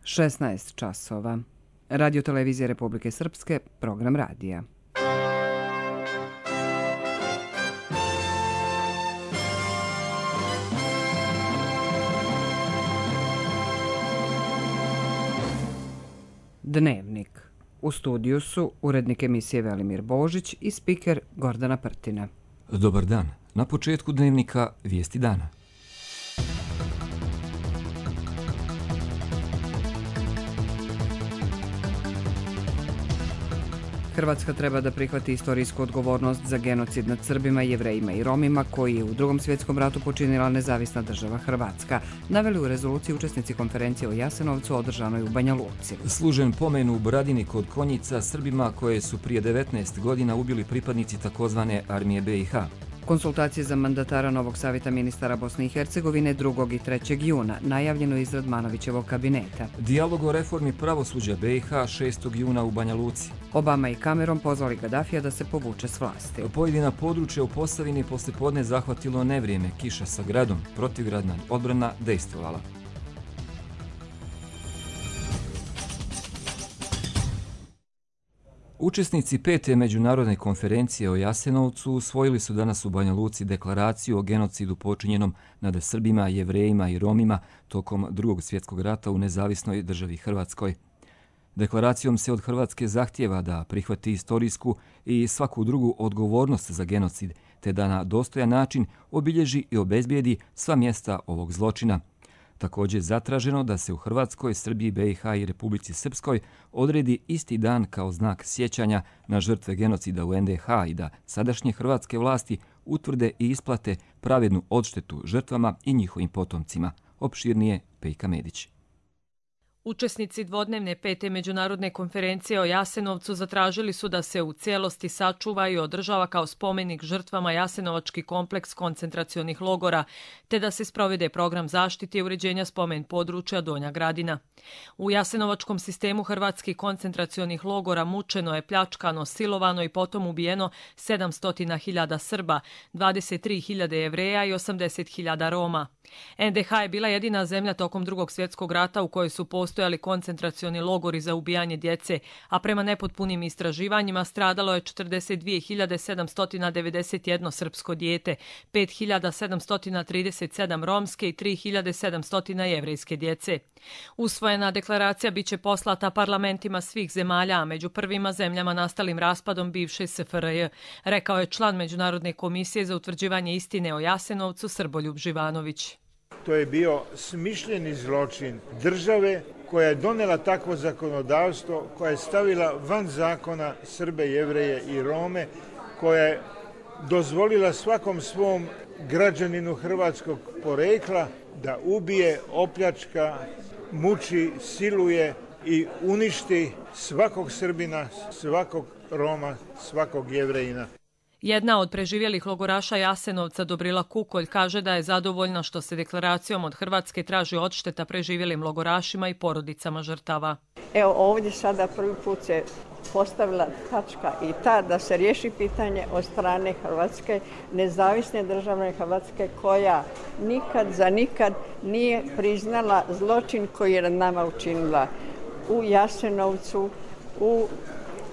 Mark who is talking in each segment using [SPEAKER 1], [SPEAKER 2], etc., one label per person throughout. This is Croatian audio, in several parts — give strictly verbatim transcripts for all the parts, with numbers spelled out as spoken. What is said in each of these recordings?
[SPEAKER 1] šesnaest časova. Radio televizija Republike Srpske, program radija. Dnevnik. U studiju su urednik emisije Velimir Božić i spiker Gordana Prtina.
[SPEAKER 2] Dobar dan. Na početku dnevnika vijesti dana.
[SPEAKER 1] Hrvatska treba da prihvati istorijsku odgovornost za genocid nad Srbima, Jevrejima i Romima koji je u Drugom svjetskom ratu počinila nezavisna država Hrvatska, naveli u rezoluciji učesnici konferencije o Jasenovcu održanoj u Banja Luci.
[SPEAKER 2] Služen pomen u Bradini kod Konjica Srbima koje su prije devetnaest godina ubili pripadnici takozvane armije B i H.
[SPEAKER 1] Konsultacije za mandatara novog savjeta ministara Bosne i Hercegovine drugog i trećeg juna, najavljeno iz Radmanovićevog kabineta.
[SPEAKER 2] Dijalog o reformi pravosuđa B i H šestog juna u Banja Luci.
[SPEAKER 1] Obama i Cameron pozvali Gadafija da se povuče s vlasti.
[SPEAKER 2] Pojedina područja u Posavini poslijepodne zahvatilo nevrijeme, kiša sa gradom, protivgradna odbrana dejstvovala. Učesnici pete međunarodne konferencije o Jasenovcu usvojili su danas u Banja Luci deklaraciju o genocidu počinjenom nad Srbima, Jevrejima i Romima tokom Drugog svjetskog rata u nezavisnoj državi Hrvatskoj. Deklaracijom se od Hrvatske zahtijeva da prihvati istorijsku i svaku drugu odgovornost za genocid, te da na dostojan način obilježi i obezbijedi sva mjesta ovog zločina. Također je zatraženo da se u Hrvatskoj, Srbiji, B i H i Republici Srpskoj odredi isti dan kao znak sjećanja na žrtve genocida u N D H i da sadašnje hrvatske vlasti utvrde i isplate pravednu odštetu žrtvama i njihovim potomcima. Opširnije Pejka Medić.
[SPEAKER 3] Učesnici dvodnevne pete međunarodne konferencije o Jasenovcu zatražili su da se u cijelosti sačuva i održava kao spomenik žrtvama Jasenovački kompleks koncentracionih logora, te da se sprovede program zaštite i uređenja spomen područja Donja Gradina. U Jasenovačkom sistemu hrvatskih koncentracionih logora mučeno je, pljačkano, silovano i potom ubijeno sedamsto hiljada Srba, dvadeset tri hiljade Jevreja i osamdeset hiljada Roma. N D H je bila jedina zemlja tokom Drugog svjetskog rata u kojoj su postojali koncentracioni logori za ubijanje djece, a prema nepotpunim istraživanjima stradalo je četrdeset dvije hiljade sedamsto devedeset jedno srpsko dijete, pet hiljada sedamsto trideset sedam romske i tri hiljade sedamsto jevrejske djece. Usvojena deklaracija biće poslata parlamentima svih zemalja, a među prvima zemljama nastalim raspadom bivše S F R J, rekao je član Međunarodne komisije za utvrđivanje istine o Jasenovcu Srboljub Živanović.
[SPEAKER 4] To je bio smišljeni zločin države koja je donela takvo zakonodavstvo, koja je stavila van zakona Srbe, Jevreje i Rome, koja je dozvolila svakom svom građaninu hrvatskog porekla da ubije, opljačka, muči, siluje i uništi svakog Srbina, svakog Roma, svakog Jevrejina.
[SPEAKER 3] Jedna od preživjelih logoraša Jasenovca, Dobrila Kukolj, kaže da je zadovoljna što se deklaracijom od Hrvatske traži odšteta preživjelim logorašima i porodicama žrtava.
[SPEAKER 5] Evo ovdje sada prvi put se postavila tačka i ta da se riješi pitanje od strane Hrvatske, nezavisne države Hrvatske, koja nikad za nikad nije priznala zločin koji je nad nama učinila u Jasenovcu, u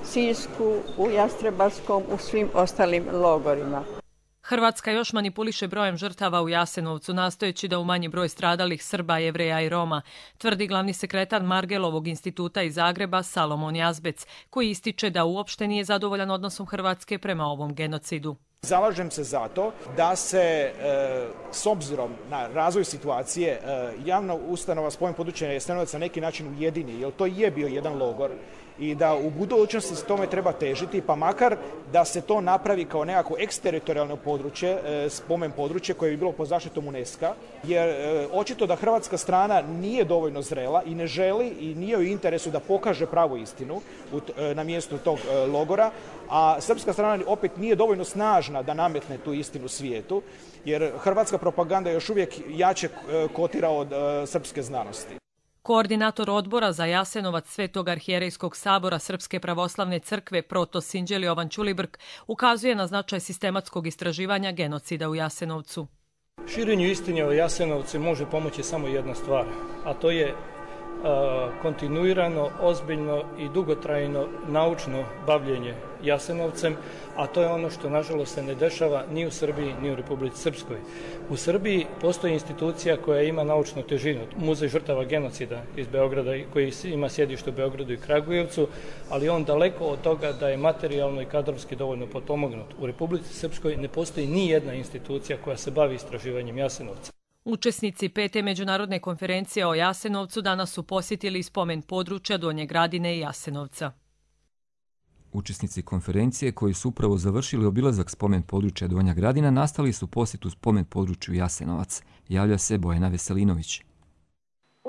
[SPEAKER 5] Sisku, u Jastrebarskom, u svim ostalim logorima.
[SPEAKER 3] Hrvatska još manipuliše brojem žrtava u Jasenovcu, nastojeći da umanji broj stradalih Srba, Jevreja i Roma, tvrdi glavni sekretar Margelovog instituta iz Zagreba Salomon Jazbec, koji ističe da uopšte nije zadovoljan odnosom Hrvatske prema ovom genocidu.
[SPEAKER 6] Zalažem se za to da se e, s obzirom na razvoj situacije e, javna ustanova spomen područja Jasenovac na neki način ujedini, jer to je bio jedan logor i da u budućnosti s tome treba težiti, pa makar da se to napravi kao nekako eksteritorijalno područje, e, spomen područje koje bi bilo pod zaštitom UNESCO-a, jer e, očito da hrvatska strana nije dovoljno zrela i ne želi i nije u interesu da pokaže pravu istinu u, e, na mjestu tog e, logora, a srpska strana opet nije dovoljno snažna da nametne tu istinu svijetu, jer hrvatska propaganda još uvijek jače kotira od e, srpske znanosti.
[SPEAKER 3] Koordinator odbora za Jasenovac Svetog arhijerejskog sabora Srpske pravoslavne crkve Protos Inđeli Jovan Ćulibrk ukazuje na značaj sistematskog istraživanja genocida u Jasenovcu.
[SPEAKER 7] Širenju istine o Jasenovcu može pomoći samo jedna stvar, a to je kontinuirano, ozbiljno i dugotrajno naučno bavljenje Jasenovcem, a to je ono što nažalost se ne dešava ni u Srbiji ni u Republici Srpskoj. U Srbiji postoji institucija koja ima naučnu težinu, Muzej žrtava genocida iz Beograda, koji ima sjedište u Beogradu i Kragujevcu, ali on daleko od toga da je materijalno i kadrovski dovoljno potpomognut. U Republici Srpskoj ne postoji ni jedna institucija koja se bavi istraživanjem Jasenovca.
[SPEAKER 3] Učesnici pete međunarodne konferencije o Jasenovcu danas su posjetili spomen područja Donje Gradine i Jasenovca.
[SPEAKER 2] Učesnici konferencije koji su upravo završili obilazak spomen područja Donja Gradina nastali su posjetu spomen području Jasenovac. Javlja se Bojana Veselinović.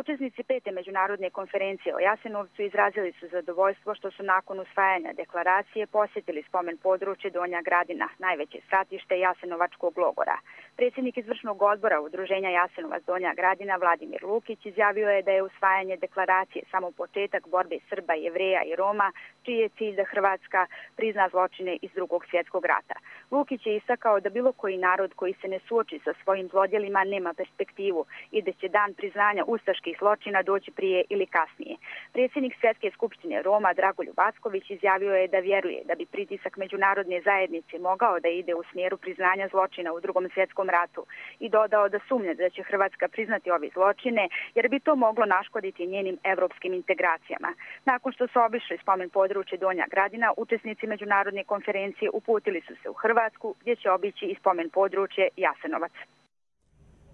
[SPEAKER 8] Učesnici pete međunarodne konferencije o Jasenovcu izrazili su zadovoljstvo što su nakon usvajanja deklaracije posjetili spomen područje Donja Gradina, najveće stratište Jasenovačkog logora. Predsjednik izvršnog odbora Udruženja Jasenovac Donja Gradina Vladimir Lukić izjavio je da je usvajanje deklaracije samo početak borbe Srba, Jevreja i Roma, čiji je cilj da Hrvatska prizna zločine iz Drugog svjetskog rata. Lukić je istakao da bilo koji narod koji se ne suoči sa svojim zlodjelima nema perspektivu i da će dan priznanja ustaških zločina doći prije ili kasnije. Predsjednik Svjetske skupštine Roma Dragoljub Acković izjavio je da vjeruje da bi pritisak međunarodne zajednice mogao da ide u smjeru priznanja zločina u Drugom svjetskom ratu i dodao da sumnja da će Hrvatska priznati ove zločine jer bi to moglo naškoditi njenim evropskim integracijama. Nakon što su obišli spomen područje Donja Gradina, učesnici međunarodne konferencije uputili su se u Hrvatsku gdje će obići i spomen područje Jasenovac.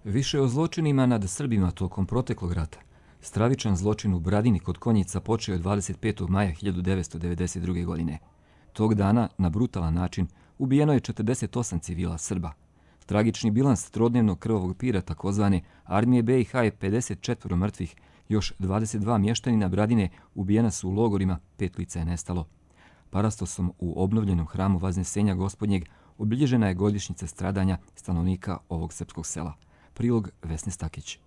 [SPEAKER 2] Više o zločinima nad Srbima tokom proteklog rata. Stravičan zločin u Bradini kod Konjica počeo je dvadeset petog maja hiljadu devetsto devedeset druge. godine. Tog dana, na brutalan način, ubijeno je četrdeset osam civila Srba. Tragični bilans trodnevnog krvavog pira takozvane armije be i ha je pedeset četiri mrtvih, još dvadeset dva mještanina Bradine ubijena su u logorima, pet lica je nestalo. Parastosom u obnovljenom hramu Vaznesenja Gospodnjeg obilježena je godišnjica stradanja stanovnika ovog srpskog sela. Prilog Vesne Stakić.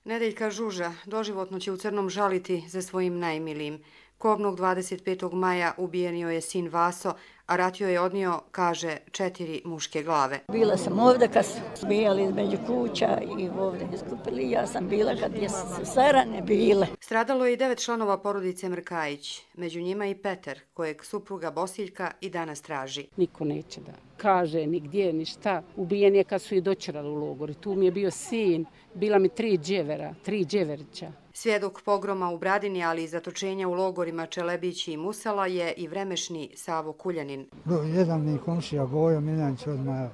[SPEAKER 9] Nedeljka Žuža doživotno će u Crnom žaliti za svojim najmilijim. Kobnog dvadeset petog maja ubijenio je sin Vaso, a ratio je odnio, kaže, četiri muške glave.
[SPEAKER 10] Bila sam ovdje kad su bijali između kuća i ovdje iskupili. Ja sam bila kad je sve rane bile.
[SPEAKER 9] Stradalo je i devet članova porodice Mrkajić, među njima i Petar, kojeg supruga Bosiljka i danas traži.
[SPEAKER 11] Niko neće da kaže ni gdje, ni šta. Ubijen je kad su i dočerali u logor. Tu mi je bio sin, bila mi tri dževera, tri dževerića.
[SPEAKER 9] Svjedok pogroma u Bradini, ali i zatočenja u logorima Čelebići i Musala je i vremešni Savo Kuljanin.
[SPEAKER 12] Jedan mi komšija Bojo Miljanić odmah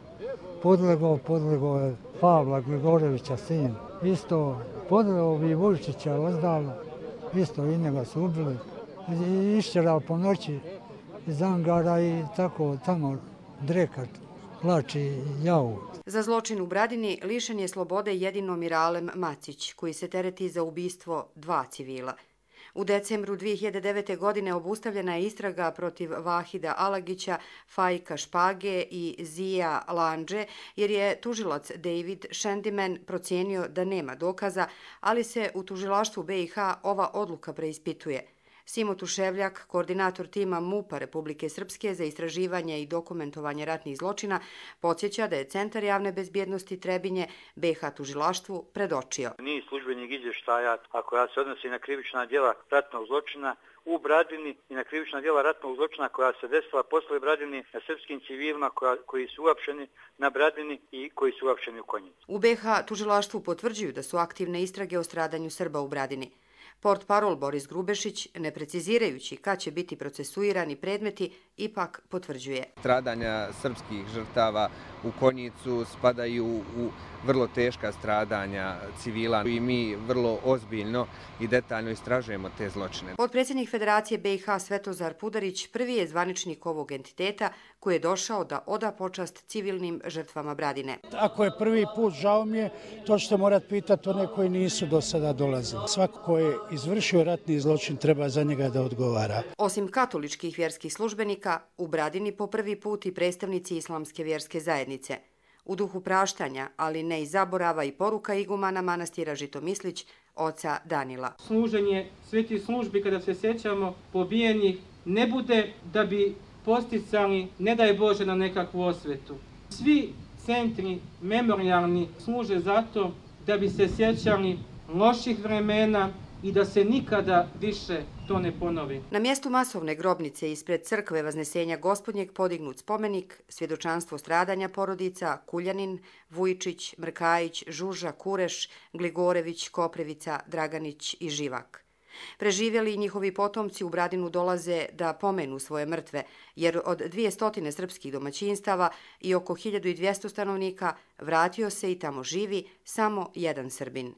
[SPEAKER 12] podlegao, podlegao je Pavla Grigorevića sin. Isto podlegao bi Vujčića Ozdala, isto i njega su ubili. I išćerao po noći iz angara i tako tamo drekat, plači javu.
[SPEAKER 9] Za zločin u Bradini lišen je slobode jedino Miralem Macić, koji se tereti za ubistvo dva civila. U decembru dvije hiljade devete. godine obustavljena je istraga protiv Vahida Alagića, Fajka Špage i Zija Landže, jer je tužilac David Shendiman procijenio da nema dokaza, ali se u tužilaštvu be i ha ova odluka preispituje. Simo Tuševljak, koordinator tima MUP-a Republike Srpske za istraživanje i dokumentovanje ratnih zločina, podsjeća da je Centar javne bezbjednosti Trebinje be i ha tužilaštvu predočio.
[SPEAKER 13] Niz službenih izvještaja, a koja se odnosi na krivična djela ratnog zločina u Bradini i na krivična djela ratnog zločina koja se desila posle Bradini na srpskim civilima koja, koji su uapšeni na Bradini i koji su uapšeni u Konjicu.
[SPEAKER 9] U be i ha tužilaštvu potvrđuju da su aktivne istrage o stradanju Srba u Bradini. Portparol Boris Grubešić, ne precizirajući kad će biti procesuirani predmeti, ipak potvrđuje.
[SPEAKER 14] Stradanja srpskih žrtava u Konjicu spadaju u vrlo teška stradanja civila i mi vrlo ozbiljno i detaljno istražujemo te zločine.
[SPEAKER 9] Potpredsjednik Federacije be i ha Svetozar Pudarić prvi je zvaničnik ovog entiteta koji je došao da oda počast civilnim žrtvama Bradine.
[SPEAKER 15] Ako je prvi put, žao mi je, to ćete morati pitati one koji nisu do sada dolazili. Svako ko je izvršio ratni zločin treba za njega da odgovara.
[SPEAKER 9] Osim katoličkih vjerskih službenika, u Bradini po prvi put i predstavnici islamske vjerske zajednice. U duhu praštanja, ali ne i zaborava i poruka igumana manastira Žitomislić, oca Danila.
[SPEAKER 16] Služenje svetih službi kada se sjećamo pobijenih ne bude da bi posticali, ne daj Bože, na nekakvu osvetu. Svi centri memorijalni služe zato da bi se sjećali loših vremena i da se nikada više to ne ponovi.
[SPEAKER 9] Na mjestu masovne grobnice ispred crkve Vaznesenja Gospodnjeg podignut spomenik, svjedočanstvo stradanja porodica Kuljanin, Vujčić, Mrkajić, Žuža, Kureš, Gligorević, Koprevica, Draganić i Živak. Preživjeli i njihovi potomci u Bradinu dolaze da pomenu svoje mrtve, jer od dvjesto srpskih domaćinstava i oko hiljadu dvjesto stanovnika vratio se i tamo živi samo jedan Srbin.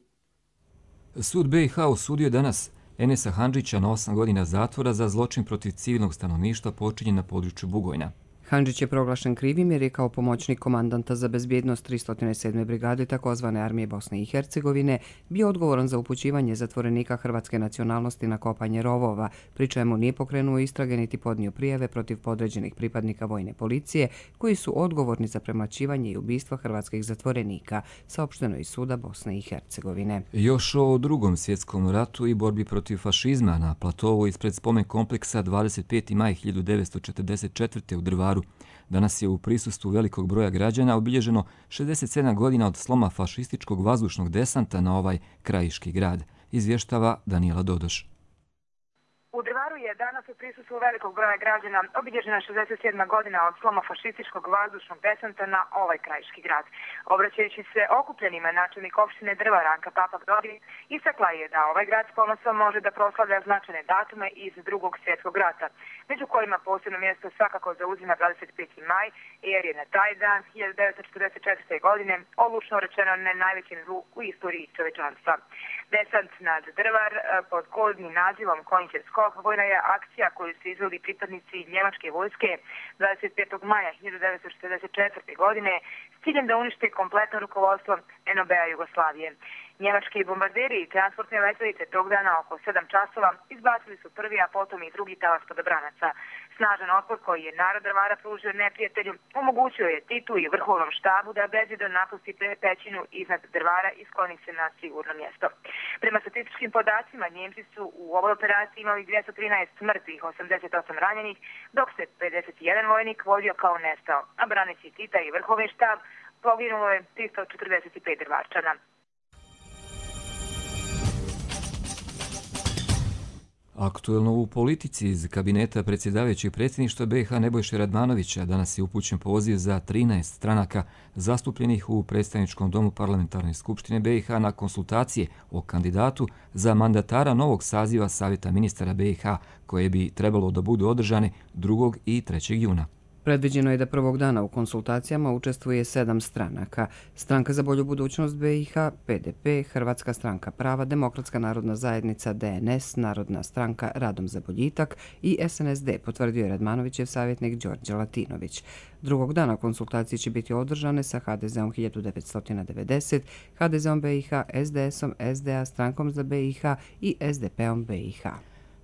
[SPEAKER 2] Sud B i H osudio danas Enesa Handžića na osam godina zatvora za zločin protiv civilnog stanovništva počinjen na području Bugojna.
[SPEAKER 1] Handžić je proglašen krivim jer je kao pomoćnik komandanta za bezbjednost tristo sedme brigade takozvane armije Bosne i Hercegovine bio odgovoran za upućivanje zatvorenika hrvatske nacionalnosti na kopanje rovova, pri čemu nije pokrenuo istrage niti podnio prijave protiv podređenih pripadnika vojne policije koji su odgovorni za premlaćivanje i ubistva hrvatskih zatvorenika, saopšteno iz suda Bosne i Hercegovine.
[SPEAKER 2] Još o drugom svjetskom ratu i borbi protiv fašizma na platovu ispred spomen kompleksa dvadeset peti maj hiljadu devetsto četrdeset četvrte u Drvaru. Danas je u prisustvu velikog broja građana obilježeno šezdeset sedam godina od sloma fašističkog vazdušnog desanta na ovaj krajiški grad, izvještava Danijela Dodoš.
[SPEAKER 17] U Drvaru je danas u prisustvu velikog broja građana obilježena šezdeset sedma godina od sloma fašističkog vazdušnog desanta na ovaj krajiški grad. Obraćajući se okupljenima, načelnik opštine Drvar Anka Papak Dodik istakla je da ovaj grad s ponosom može da proslavlja značajne datume iz drugog svjetskog rata, među kojima posebno mjesto svakako zauzima dvadeset peti maj, jer je na taj dan hiljadu devetsto četrdeset četvrte. godine odlučno rečeno ne najvećim zlu u istoriji čovečanstva. Desant nad Drvar pod kodnim nazivom Konjićev skok vojna je akcija koju su izveli pripadnici njemačke vojske dvadeset petog maja hiljadu devetsto četrdeset četvrte. godine s ciljem da unište kompletno rukovodstvo N O B-a Jugoslavije. Njemački bombarderi i transportne letelice tog dana oko sedam časova izbacili su prvi, a potom i drugi talas padobranaca. Snažan otpor koji je narod Drvara pružio neprijatelju omogućio je Titu i vrhovnom štabu da bezbjedno napusti pećinu iznad Drvara i skloni se na sigurno mjesto. Prema statističkim podacima, Njemci su u ovoj operaciji imali dvjesto trinaest mrtvih, osamdeset osam ranjenih, dok se pedeset jedan vojnik vodio kao nestao, a braneći Tita i vrhovni štab poginulo je tristo četrdeset pet Drvarčana.
[SPEAKER 2] Aktuelno u politici iz kabineta predsjedavajućeg predsjedništva B i H Nebojše Radmanovića danas je upućen poziv za trinaest stranaka zastupljenih u predstavničkom domu Parlamentarne skupštine B i H na konsultacije o kandidatu za mandatara novog saziva Savjeta ministara B i H koje bi trebalo da budu održane drugog i trećeg juna.
[SPEAKER 1] Predviđeno je da prvog dana u konsultacijama učestvuje sedam stranaka. Stranka za bolju budućnost B i H, P D P, Hrvatska stranka prava, Demokratska narodna zajednica, D N S, Narodna stranka Radom za boljitak i S N S D, potvrdio je Radmanovićev savjetnik Đorđe Latinović. Drugog dana konsultacije će biti održane sa H D Z-om hiljadu devetsto devedeset, H D Z-om B i H, S D S-om, S D A, Strankom za B i H i S D P-om B i H.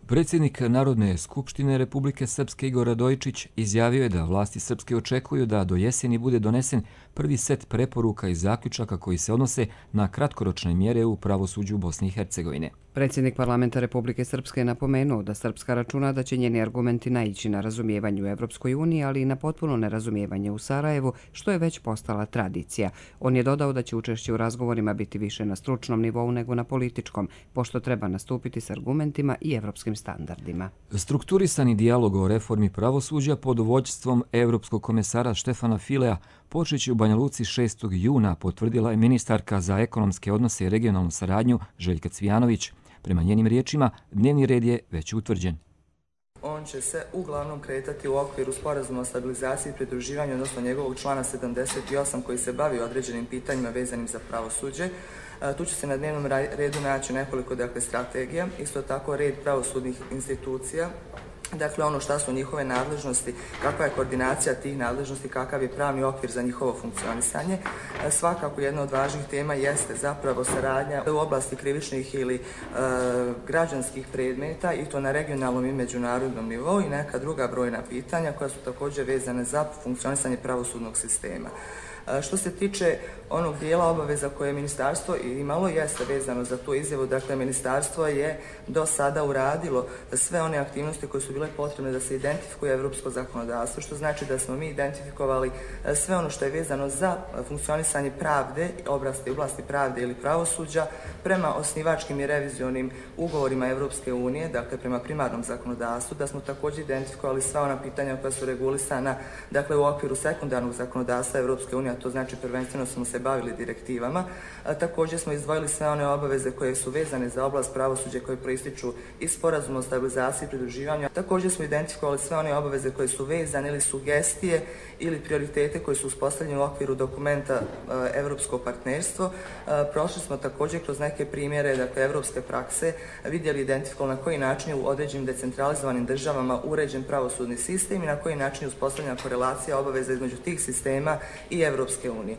[SPEAKER 2] Predsjednik Narodne skupštine Republike Srpske Igor Radojičić izjavio je da vlasti Srpske očekuju da do jeseni bude donesen prvi set preporuka i zaključaka koji se odnose na kratkoročne mjere u pravosuđu Bosne i Hercegovine.
[SPEAKER 1] Predsjednik parlamenta Republike Srpske je napomenuo da Srpska računa da će njeni argumenti naići na razumijevanje u Evropskoj uniji, ali i na potpuno nerazumijevanje u Sarajevu, što je već postala tradicija. On je dodao da će učešće u razgovorima biti više na stručnom nivou nego na političkom, pošto treba nastupiti s argumentima i evropskim standardima.
[SPEAKER 2] Strukturisani dijalog o reformi pravosuđa pod vođstvom evropskog komesara Štefana Filea počeće u Banja Luci šestog juna, potvrdila je ministarka za ekonomske odnose i regionalnu saradnju Željka Cvijanović. Prema njenim riječima, dnevni red je već utvrđen.
[SPEAKER 18] On će se uglavnom kretati u okviru sporazuma o stabilizaciji i pridruživanju, odnosno njegovog člana sedamdeset osam koji se bavi određenim pitanjima vezanim za pravosuđe. Tu će se na dnevnom redu naći nekoliko dakle, strategija, isto tako red pravosudnih institucija, dakle ono šta su njihove nadležnosti, kakva je koordinacija tih nadležnosti, kakav je pravni okvir za njihovo funkcionisanje. Svakako jedna od važnih tema jeste zapravo saradnja u oblasti krivičnih ili e, građanskih predmeta i to na regionalnom i međunarodnom nivou i neka druga brojna pitanja koja su također vezane za funkcionisanje pravosudnog sistema. Što se tiče onog dijela obaveza koje je ministarstvo imalo, jeste vezano za tu izjavu. Dakle, ministarstvo je do sada uradilo sve one aktivnosti koje su bile potrebne da se identifikuje evropsko zakonodavstvo, što znači da smo mi identifikovali sve ono što je vezano za funkcionisanje pravde, oblasti, oblasti pravde ili pravosuđa prema osnivačkim i revizionim ugovorima Evropske unije, dakle prema primarnom zakonodavstvu, da smo također identifikovali sva ona pitanja koja su regulisana, dakle u okviru sekundarnog zakonodavstva Evropske unije, a to znači prvenstveno smo se bavili direktivama. A, također smo izdvojili sve one obaveze koje su vezane za oblast pravosuđa koje proističu iz sporazuma o stabilizaciji i pridruživanju. Također smo identifikovali sve one obaveze koje su vezane ili sugestije ili prioritete koji su uspostavljeni u okviru dokumenta Evropsko partnerstvo. A, prošli smo također kroz neke primjere, dakle, evropske prakse, vidjeli i identifikovali na koji način je u određenim decentralizovanim državama uređen pravosudni sistem i na koji način je uspostavljena korelacija obaveza između tih sistema i Evropske unije.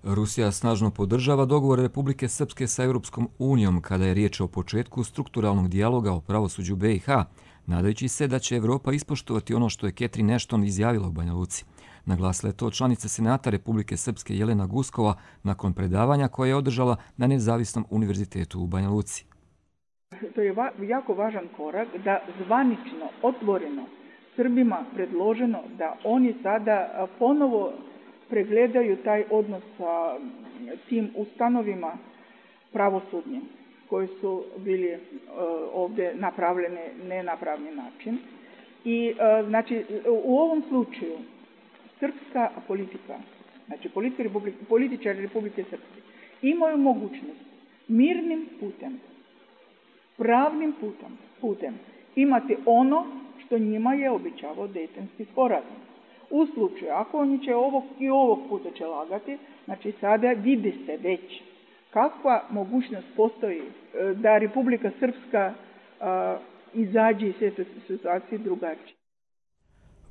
[SPEAKER 2] Rusija snažno podržava dogovor Republike Srpske sa Europskom unijom kada je riječ o početku strukturalnog dijaloga o pravosuđu B i H, nadajući se da će Evropa ispoštovati ono što je Catherine Ashton izjavila u Banja Luci. Naglasila je to članica Senata Republike Srpske Jelena Guskova nakon predavanja koje je održala na Nezavisnom univerzitetu u Banja Luci.
[SPEAKER 19] To je jako važan korak da zvanično, otvoreno Srbima predloženo da oni sada ponovo pregledaju taj odnos sa tim ustanovima pravosudnim koji su bili uh, ovdje napravljeni nenapravni način. I uh, znači u ovom slučaju srpska politika, znači političari Republike Srpske imaju mogućnost mirnim putem, pravnim putem, putem imati ono što njima je obećavao Dejtonski sporazum. U slučaju, ako oni će ovog i ovog puta će lagati, znači sada vidi se već kakva mogućnost postoji da Republika Srpska a, izađe iz te situacije drugačije.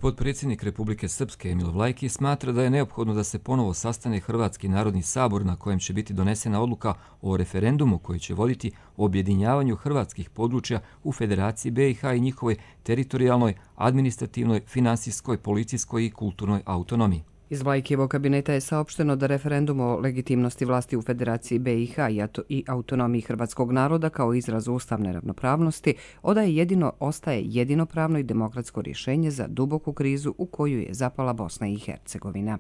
[SPEAKER 2] Potpredsjednik Republike Srpske Emil Vlajki smatra da je neophodno da se ponovo sastane Hrvatski narodni sabor na kojem će biti donesena odluka o referendumu koji će voditi o objedinjavanju hrvatskih područja u Federaciji B i H i njihovoj teritorijalnoj, administrativnoj, finansijskoj, policijskoj i kulturnoj autonomiji.
[SPEAKER 1] Iz Vlajkijevog kabineta je saopšteno da referendum o legitimnosti vlasti u Federaciji B i H i autonomiji hrvatskog naroda kao izraz ustavne ravnopravnosti odaje jedino, ostaje jedino pravno i demokratsko rješenje za duboku krizu u koju je zapala Bosna i Hercegovina.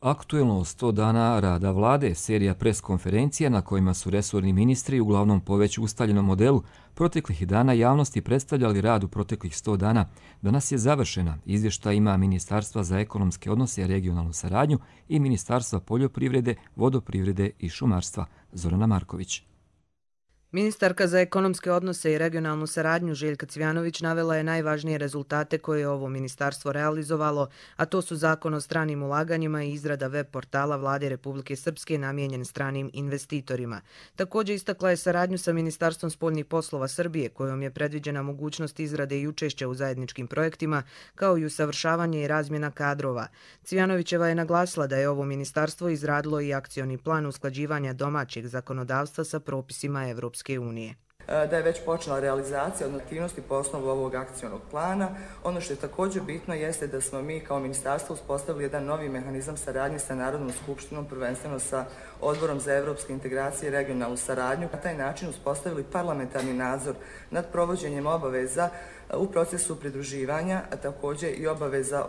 [SPEAKER 2] Aktuelno sto dana rada vlade, serija preskonferencija na kojima su resorni ministri uglavnom po već ustaljenom modelu proteklih dana javnosti predstavljali rad u proteklih sto dana, danas je završena. Izvještaj ima Ministarstva za ekonomske odnose i regionalnu saradnju i Ministarstva poljoprivrede, vodoprivrede i šumarstva. Zorana Marković.
[SPEAKER 20] Ministarka za ekonomske odnose i regionalnu saradnju Željka Cvjanović navela je najvažnije rezultate koje je ovo ministarstvo realizovalo, a to su Zakon o stranim ulaganjima i izrada web portala Vlade Republike Srpske namijenjen stranim investitorima. Također istakla je saradnju sa Ministarstvom spoljnih poslova Srbije, kojom je predviđena mogućnost izrade i učešća u zajedničkim projektima, kao i usavršavanje i razmjena kadrova. Cvjanovićeva je naglasila da je ovo ministarstvo izradilo i akcioni plan usklađivanja domaćeg zakonodavstva sa propisima Evropske unije.
[SPEAKER 18] Da je već počela realizacija od aktivnosti po osnovu ovog akcionog plana. Ono što je također bitno jeste da smo mi kao ministarstvo uspostavili jedan novi mehanizam saradnje sa Narodnom skupštinom, prvenstveno sa Odborom za evropske integracije i regionalnu saradnju. Na taj način uspostavili parlamentarni nadzor nad provođenjem obaveza u procesu pridruživanja, a također i obaveza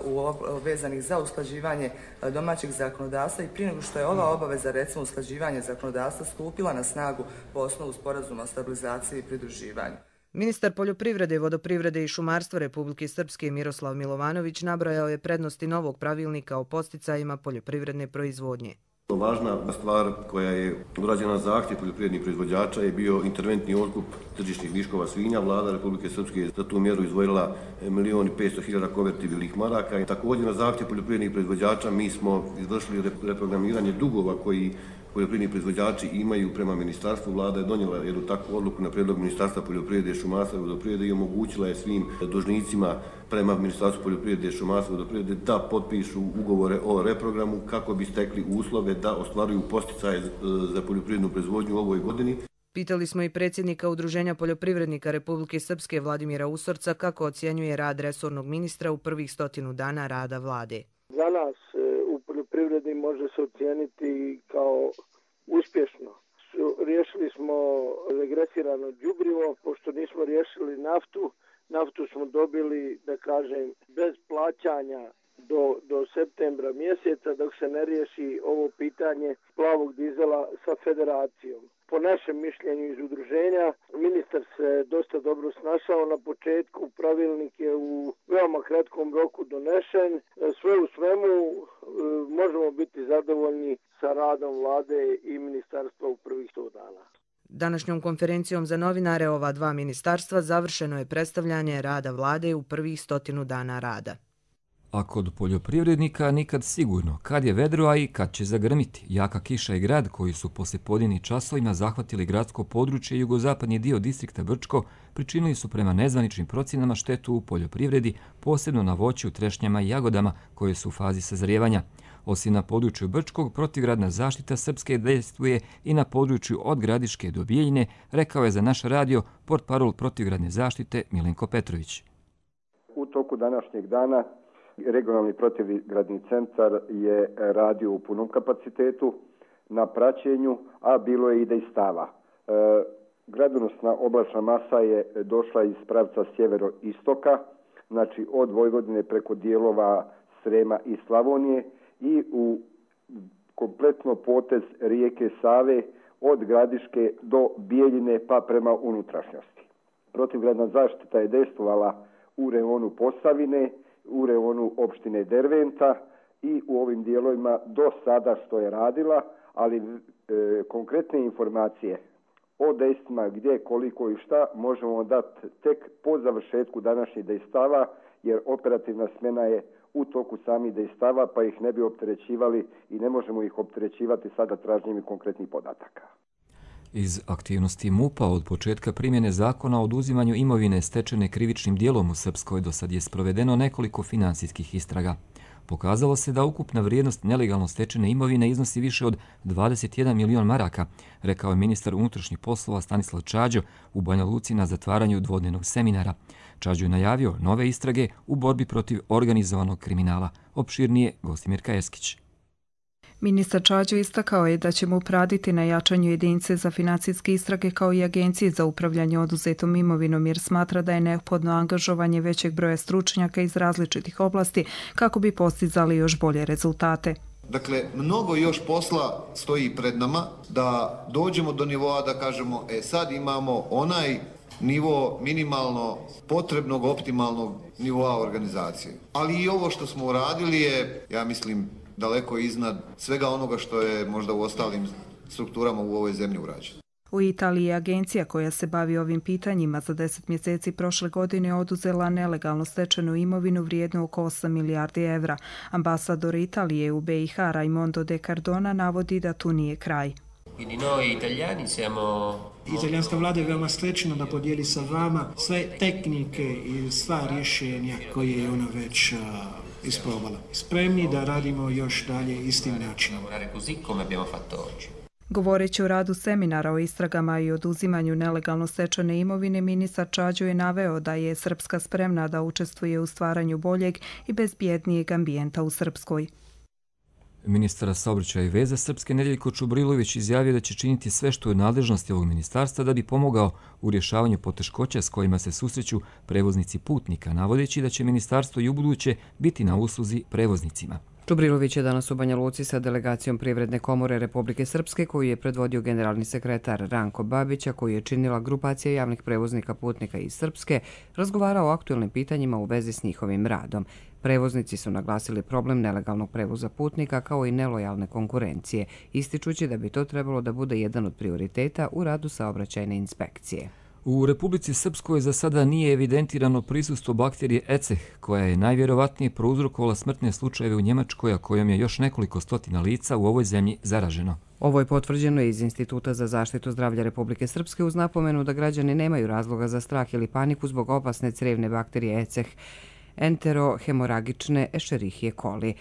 [SPEAKER 18] vezanih za usklađivanje domaćeg zakonodavstva i prije nego što je ova obaveza, recimo usklađivanje zakonodavstva, stupila na snagu po osnovu sporazuma o stabilizaciji i pridruživanju.
[SPEAKER 20] Ministar poljoprivrede, vodoprivrede i šumarstva Republike Srpske Miroslav Milovanović nabrojao je prednosti novog pravilnika o podsticajima poljoprivredne proizvodnje.
[SPEAKER 21] Važna stvar koja je urađena na zahtjev poljoprivrednih proizvođača je bio interventni otkup tržišnih viškova svinja. Vlada Republike Srpske je za tu mjeru izdvojila milion i petsto hiljada konvertibilnih maraka. I također na zahtjev poljoprivrednih proizvođača mi smo izvršili reprogramiranje dugova koji poljoprivredni proizvođači imaju prema ministarstvu. Vlada je donijela jednu takvu odluku na prijedlog Ministarstva poljoprivrede, šumarstva i vodoprivrede i omogućila je svim dužnicima prema Ministarstvu poljoprivrede, šumarstva i vodoprivrede da potpišu ugovore o reprogramu kako bi stekli uslove da ostvaruju posticaje za poljoprivrednu proizvodnju u ovoj godini.
[SPEAKER 20] Pitali smo i predsjednika Udruženja poljoprivrednika Republike Srpske Vladimira Usorca kako ocjenjuje rad resornog ministra u prvih stotinu dana rada vlade.
[SPEAKER 4] Za nas u poljoprivredi može se ocijeniti kao uspješno. Riješili smo regresirano đubrivo, pošto nismo riješili naftu. Naftu smo dobili, da kažem, bez plaćanja do, do septembra mjeseca, dok se ne riješi ovo pitanje plavog dizela sa federacijom. Po našem mišljenju iz udruženja, ministar se dosta dobro snašao na početku, pravilnik je u veoma kratkom roku donešen. Sve u svemu možemo biti zadovoljni sa radom vlade i ministarstva u prvih sto dana.
[SPEAKER 20] Današnjom konferencijom za novinare ova dva ministarstva završeno je predstavljanje rada vlade u prvih stotinu dana rada.
[SPEAKER 2] A kod poljoprivrednika nikad sigurno, kad je vedro, a i kad će zagrmiti. Jaka kiša i grad koji su poslijepodnevnim časovima zahvatili gradsko područje i jugozapadni dio distrikta Brčko pričinili su prema nezvaničnim procjenama štetu u poljoprivredi, posebno na voću, trešnjama i jagodama koje su u fazi sazrijevanja. Osim na području Brčkog, protivgradna zaštita Srpske dejstvuje i na području od Gradiške do Bijeljine, rekao je za naš radio portparol protivgradne zaštite Milenko Petrović.
[SPEAKER 22] U toku današnjeg dana regionalni protivgradni centar je radio u punom kapacitetu na praćenju, a bilo je i dejstava. E, gradonosna oblačna masa je došla iz pravca sjevero-istoka, znači od Vojvodine preko dijelova Srema i Slavonije i u kompletno potez rijeke Save od Gradiške do Bijeljine pa prema unutrašnjosti. Protivgradna zaštita je dejstvovala u reonu Posavine, u reonu opštine Derventa i u ovim dijelovima do sada što je radila, ali e, konkretne informacije o dejstvima gdje, koliko i šta možemo dati tek po završetku današnjih dejstava, jer operativna smjena je u toku samih dejstava, pa ih ne bi opterećivali i ne možemo ih opterećivati sada tražnjem konkretnih podataka.
[SPEAKER 2] Iz aktivnosti MUP-a od početka primjene zakona o oduzimanju imovine stečene krivičnim dijelom u Srpskoj do sad je sprovedeno nekoliko finansijskih istraga. Pokazalo se da ukupna vrijednost nelegalno stečene imovine iznosi više od dvadeset jedan milion maraka, rekao je ministar unutrašnjih poslova Stanislav Čađo u Banja Luci na zatvaranju dvodnevnog seminara. Čađo je najavio nove istrage u borbi protiv organizovanog kriminala. Opširnije Gostimir Kajeskić.
[SPEAKER 23] Ministar Čađo istakao je da će mu raditi na jačanju jedinice za financijske istrage kao i agencije za upravljanje oduzetom imovinom, jer smatra da je neophodno angažovanje većeg broja stručnjaka iz različitih oblasti kako bi postizali još bolje rezultate.
[SPEAKER 24] Dakle, mnogo još posla stoji pred nama da dođemo do nivoa da kažemo, e sad imamo onaj nivo minimalno potrebnog optimalnog nivoa organizacije. Ali i ovo što smo uradili je, ja mislim, daleko iznad svega onoga što je možda u ostalim strukturama u ovoj zemlji urađeno.
[SPEAKER 23] U Italiji je agencija koja se bavi ovim pitanjima za deset mjeseci prošle godine oduzela nelegalno stečenu imovinu vrijednu oko osam milijardi evra. Ambasador Italije u B i H Raimondo De Cardona navodi da tu nije kraj.
[SPEAKER 25] Italijanska vlada je veoma srećna da podijeli sa vama sve tehnike i sva rješenja koje je ona već uh, isprobala. Spremni da radimo još dalje istim načinom.
[SPEAKER 23] Govoreći o radu seminara o istragama i oduzimanju nelegalno stečene imovine, ministar Čađo je naveo da je Srpska spremna da učestvuje u stvaranju boljeg i bezbjednijeg ambijenta u Srpskoj.
[SPEAKER 2] Ministar saobraćaja i veza Srpske Nedeljko Čubrilović izjavio da će činiti sve što je u nadležnosti ovog ministarstva da bi pomogao u rješavanju poteškoća s kojima se susreću prevoznici putnika, navodeći da će ministarstvo i ubuduće biti na usluzi prevoznicima.
[SPEAKER 1] Čubrilović je danas u Banja Luci sa delegacijom Privredne komore Republike Srpske koju je predvodio generalni sekretar Ranko Babića, koju je činila grupacija javnih prevoznika putnika iz Srpske, razgovarao o aktuelnim pitanjima u vezi s njihovim radom. Prevoznici su naglasili problem nelegalnog prevoza putnika kao i nelojalne konkurencije, ističući da bi to trebalo da bude jedan od prioriteta u radu saobraćajne inspekcije.
[SPEAKER 2] U Republici Srpskoj za sada nije evidentirano prisustvo bakterije E C E H, koja je najvjerovatnije prouzrokovala smrtne slučajeve u Njemačkoj, a kojom je još nekoliko stotina lica u ovoj zemlji zaraženo.
[SPEAKER 1] Ovo je potvrđeno iz Instituta za zaštitu zdravlja Republike Srpske uz napomenu da građani nemaju razloga za strah ili paniku zbog opasne crevne bakterije E C E H, enterohemoragične Escherichia coli.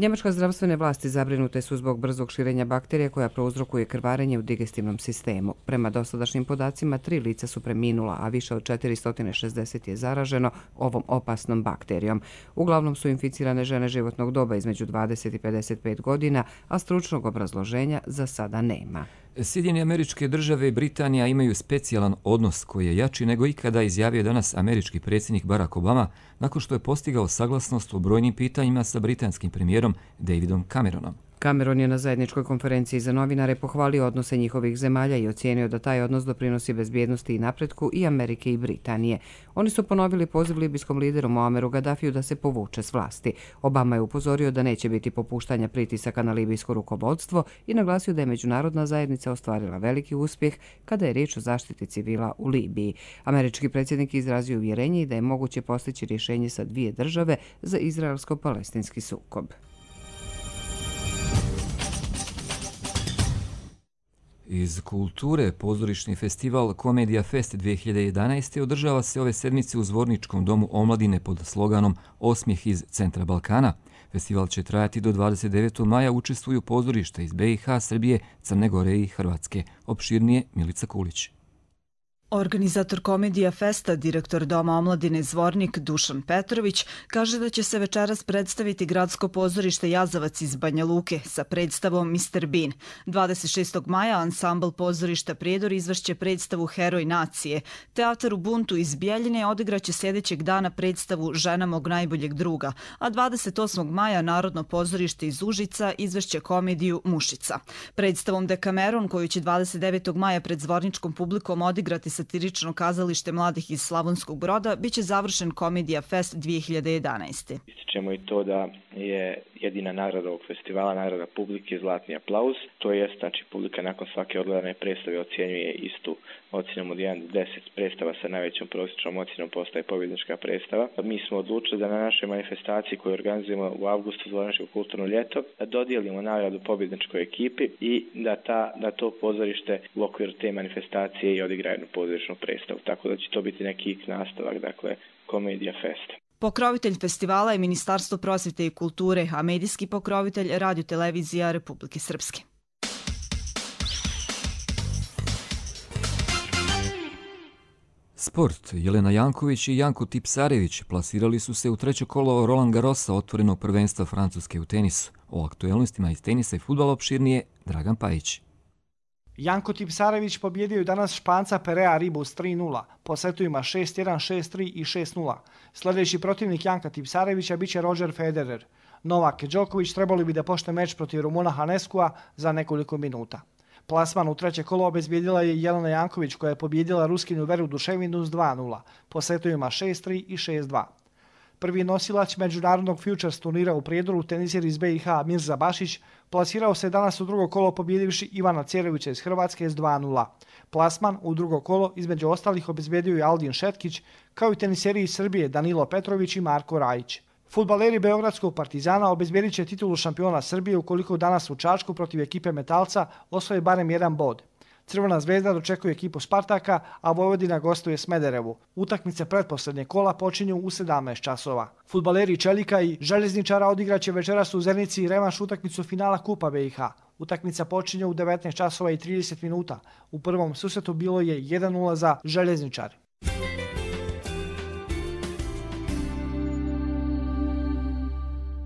[SPEAKER 1] Njemačka zdravstvene vlasti zabrinute su zbog brzog širenja bakterije koja prouzrokuje krvarenje u digestivnom sistemu. Prema dosadašnjim podacima, tri lica su preminula, a više od četiristo šezdeset je zaraženo ovom opasnom bakterijom. Uglavnom su inficirane žene životnog doba između dvadeset i pedeset pet godina, a stručnog obrazloženja za sada nema.
[SPEAKER 2] Sjedinjene Američke Države i Britanija imaju specijalan odnos koji je jači nego ikada, izjavio danas američki predsjednik Barack Obama nakon što je postigao saglasnost o brojnim pitanjima sa britanskim premijerom Davidom Cameronom.
[SPEAKER 1] Cameron je na zajedničkoj konferenciji za novinare pohvalio odnose njihovih zemalja i ocijenio da taj odnos doprinosi bezbjednosti i napretku i Amerike i Britanije. Oni su ponovili poziv libijskom lideru Muammeru Gaddafiju da se povuče s vlasti. Obama je upozorio da neće biti popuštanja pritisaka na libijsko rukovodstvo i naglasio da je međunarodna zajednica ostvarila veliki uspjeh kada je riječ o zaštiti civila u Libiji. Američki predsjednik izrazio uvjerenje da je moguće postići rješenje sa dvije države za izraelsko-palestinski sukob.
[SPEAKER 2] Iz kulture, pozorišni festival Komedija Fest dvije hiljade jedanaeste. održava se ove sedmice u Zvorničkom domu omladine pod sloganom Osmijeh iz centra Balkana. Festival će trajati do dvadeset devetog maja, učestvuju pozorišta iz be i ha, Srbije, Crne Gore i Hrvatske. Opširnije Milica Kulić.
[SPEAKER 3] Organizator Komedija Festa, direktor Doma omladine Zvornik Dušan Petrović, kaže da će se večeras predstaviti gradsko pozorište Jazavac iz Banja Luke sa predstavom mister Bean. dvadeset šestog maja ansambl pozorišta Prijedor izvešće predstavu Heroj nacije. Teatar u Buntu iz Bijeljine odigraće sljedećeg dana predstavu Žena mog najboljeg druga, a dvadeset osmog maja Narodno pozorište iz Užica izvešće komediju Mušica. Predstavom Dekameron, koju će dvadeset devetog maja pred zvorničkom publikom odigrati satirično kazalište mladih iz Slavonskog Broda, bit će završen Komedija Fest dvije hiljade jedanaeste.
[SPEAKER 5] Ističemo i to da je jedina nagrada ovog festivala, nagrada publike, Zlatni aplauz. To je, znači, publika nakon svake odgledane predstave ocjenjuje istu ocjenom od jedan do deset. Predstava sa najvećom prosječnom ocjenom postaje pobjednička predstava. Mi smo odlučili da na našoj manifestaciji koju organizujemo u avgustu Zvorničko kulturno ljeto da dodijelimo nagradu pobjedničkoj ekipi i da, ta, da to pozorište u okviru te manifestacije i odigra jednu pozorišnu predstavu. Tako da će to biti neki nastavak, dakle, Komedija Fest.
[SPEAKER 3] Pokrovitelj festivala je Ministarstvo prosvjete i kulture, a medijski pokrovitelj Radio-televizija Republike Srpske.
[SPEAKER 2] Sport. Jelena Janković i Janko Tipsarević plasirali su se u treće kolo Roland Garrosa, otvorenog prvenstva Francuske u tenisu. O aktuelnostima iz tenisa i fudbala opširnije Dragan Pajić.
[SPEAKER 6] Janko Tipsarević pobjedio je danas Španca Perea Ribus tri nula, po setovima šest jedan, šest tri i šest nula. Sljedeći protivnik Janka Tipsarevića biće Roger Federer. Novak Đoković trebali bi da počne meč protiv Rumuna Haneskua za nekoliko minuta. Plasman u treće kolo obezbijedila je Jelena Janković, koja je pobjedila Ruskinu Veru Duševinu s dva nula, po setovima šest tri i šest dva. Prvi nosilac međunarodnog Futures turnira u Prijedoru, tenisir iz be i ha Mirza Bašić, plasirao se danas u drugo kolo pobjedivši Ivana Cerovića iz Hrvatske s dva nula. Plasman u drugo kolo između ostalih obezbijedio je Aldin Šetkić, kao i teniseri iz Srbije Danilo Petrović i Marko Rajić. Fudbaleri Beogradskog Partizana obezbijedit će titulu šampiona Srbije ukoliko danas u Čačku protiv ekipe Metalca osvoje barem jedan bod. Crvena zvezda dočekuje ekipu Spartaka, a Vojvodina gostuje Smederevu. Utakmice pretposlednje kola počinju u sedamnaest časova. Fudbaleri Čelika i Željezničara odigraće večeras u Zenici revanš utakmicu finala Kupa be i ha. Utakmica počinje u devetnaest časova i trideset minuta. U prvom susretu bilo je jedan nula za Željezničar.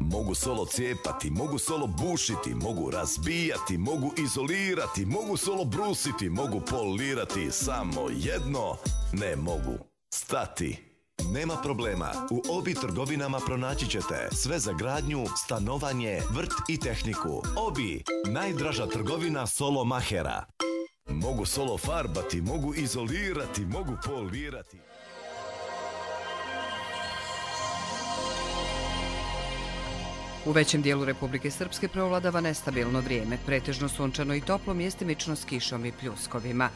[SPEAKER 7] Mogu solo cijepati, mogu solo bušiti, mogu razbijati, mogu izolirati, mogu solo brusiti, mogu polirati, samo jedno ne mogu stati. Nema problema, u Obi trgovinama pronaći ćete sve za gradnju, stanovanje, vrt i tehniku. Obi, najdraža trgovina solo mahera. Mogu solo farbati, mogu izolirati, mogu polirati.
[SPEAKER 1] U većem dijelu Republike Srpske preovladava nestabilno vrijeme, pretežno sunčano i toplo, mjestimično s kišom i pljuskovima.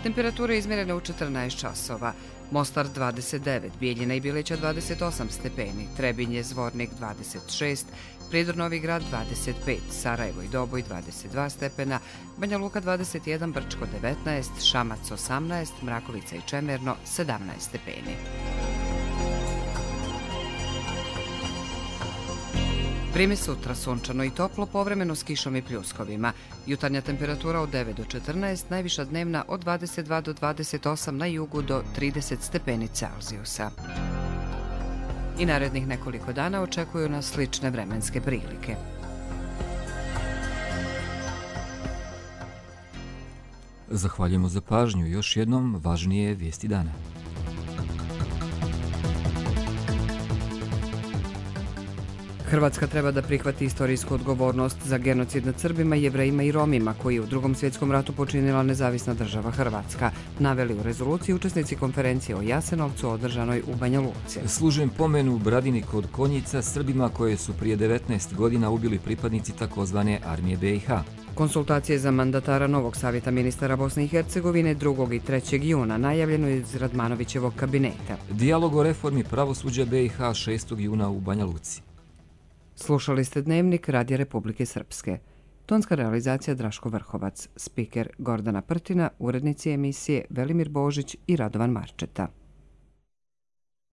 [SPEAKER 1] Temperatura je izmjerena u četrnaest časova. Mostar dvadeset devet, Bijeljina i Bileća dvadeset osam stepeni, Trebinje, Zvornik dvadeset šest, Prijedor Novi Grad dvadeset pet, Sarajevo i Doboj dvadeset dva stepena, Banja Luka dvadeset jedan, Brčko devetnaest, Šamac osamnaest, Mrakovica i Čemerno sedamnaest stepeni. Vrijeme sutra sunčano i toplo, povremeno s kišom i pljuskovima. Jutarnja temperatura od devet do četrnaest, najviša dnevna od dvadeset dva do dvadeset osam, na jugu do trideset stepeni Celzijusa. I narednih nekoliko dana očekuju nas slične vremenske prilike.
[SPEAKER 2] Zahvaljujemo za pažnju. Još jednom važnije vijesti dana.
[SPEAKER 1] Hrvatska treba da prihvati istorijsku odgovornost za genocid nad Srbima, Jevrejima i Romima koji je u Drugom svjetskom ratu počinila nezavisna država Hrvatska, naveli u rezoluciji učesnici konferencije o Jasenovcu održanoj u Banja Luci.
[SPEAKER 2] Služen pomen u Bradini kod Konjica Srbima koje su prije devetnaest godina ubili pripadnici takozvane armije B i H.
[SPEAKER 1] Konsultacije za mandatara novog savjeta ministara Bosne i Hercegovine drugog i trećeg juna najavljeno iz Radmanovićevog kabineta.
[SPEAKER 2] Dijalog o reformi pravosuđa B i H šestog juna u Banja Luci.
[SPEAKER 1] Slušali ste Dnevnik Radija Republike Srpske. Tonska realizacija Draško Vrhovac, spiker Gordana Prtina, urednici emisije Velimir Božić i Radovan Marčeta.